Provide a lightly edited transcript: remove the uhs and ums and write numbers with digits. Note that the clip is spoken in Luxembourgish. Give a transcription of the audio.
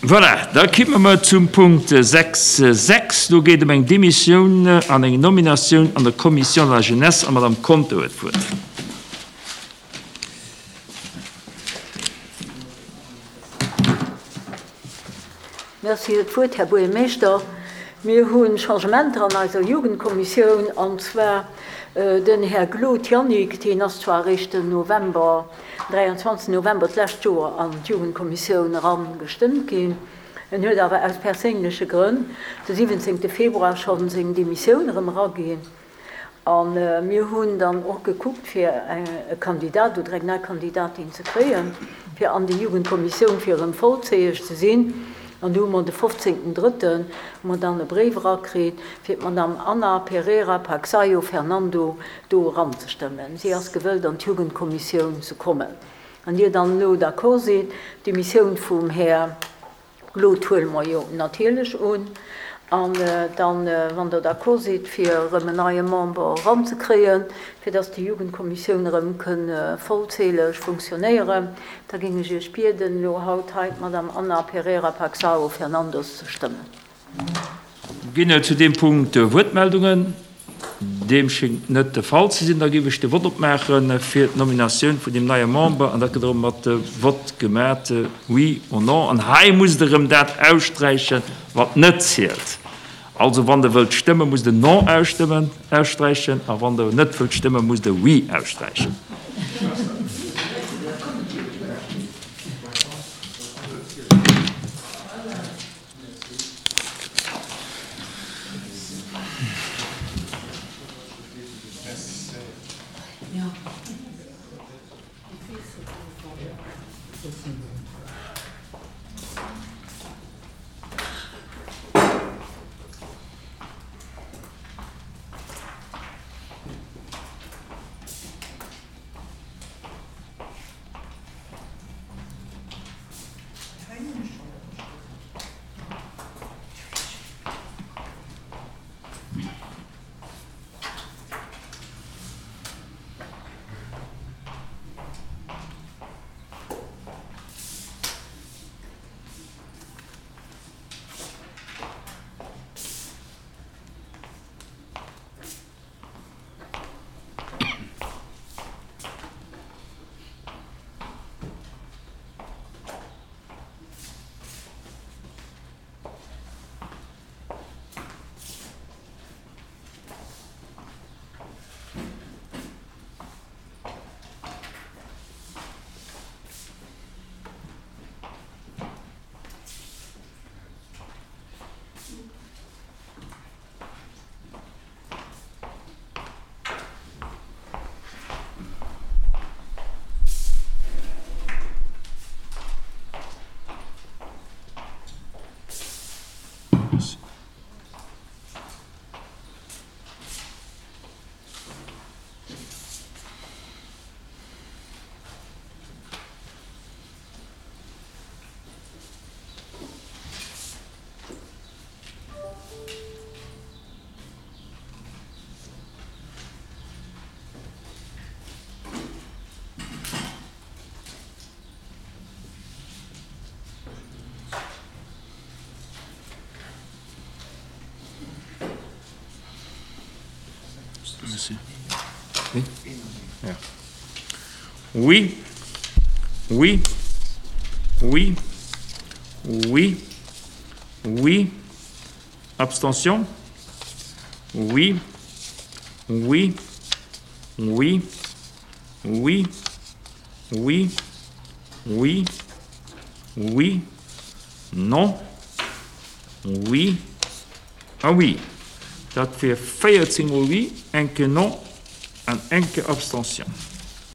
Voilà, da kimme mer zum Punkt 6, 6. Do geet ëm eng Demissioun an eng Nominatioun an der Commission de la Jeunesse an d'Madame Conter huet d'Wuert. Merci fir d'Wuert, Här Buergermeeschter. Mir hu Changementer an eiser Jugendkommissioun, an zwar den Här Glod Yannick, deen ass zwar eréischt den November, 23 November d'lescht Joer an d'Jugendkommissioun eran gestëmmt ginn. En huet awer aus perséinleche Grënn de 17 Februar schonn seng Demissioun erëm eraginn. A mir hunn dann och gekuckt, fir e Kandidat oder eng nei Kandidatin ze kréien, fir an déi Jugendkommissioun, fir erëm vollzäheg ze sinn. An du hu mer de 15. Drëtten hu mer dann e Bréif erakritt, fir d'Madame Ana Pereira Paxaio Fernando do eranzestëmmen. Si ass gewëllt, an d'Jugendkommissioun ze kommen. Wann Dir dann elo d'accord sidd, d'Demissioun vum Här. Elo huele mer jo natierlech un. An dann, wann Der d'accord sidd, fir erëm en neie Member eranzekréien, fir dass déi Jugendkommissioun erëm kënn vollzähleg funktionéieren, da géing ech Iech bieden, elo haut hei d'Madame Ana Pereira Paxao Fernandos ze stëmmen. Ginn et zu deem Punkt Wuertmeldungen? Deem schéngt net de Fall ze sinn. Da géif ech de Vott opmaache fir d'Nominatioun vun deem neie Member. An dat gëtt erëm mat Vott gemat, oui or non. An hei musst Der erëm dat aussträichen, wat net zielt. Also wann Der wëllt stëmmen, musst Der non ausstëmmen, aussträichen. A wann Der net wëllt stëmmen, musst Der oui aussträichen. Oui. Oui. Oui. Oui. Oui. Abstention? Oui. Oui. Oui. Oui. Oui. Oui. Oui. Non. Oui. A oui. Dat wier 14 mol Oui, eng Kéier Non an eng Kéier Abstention.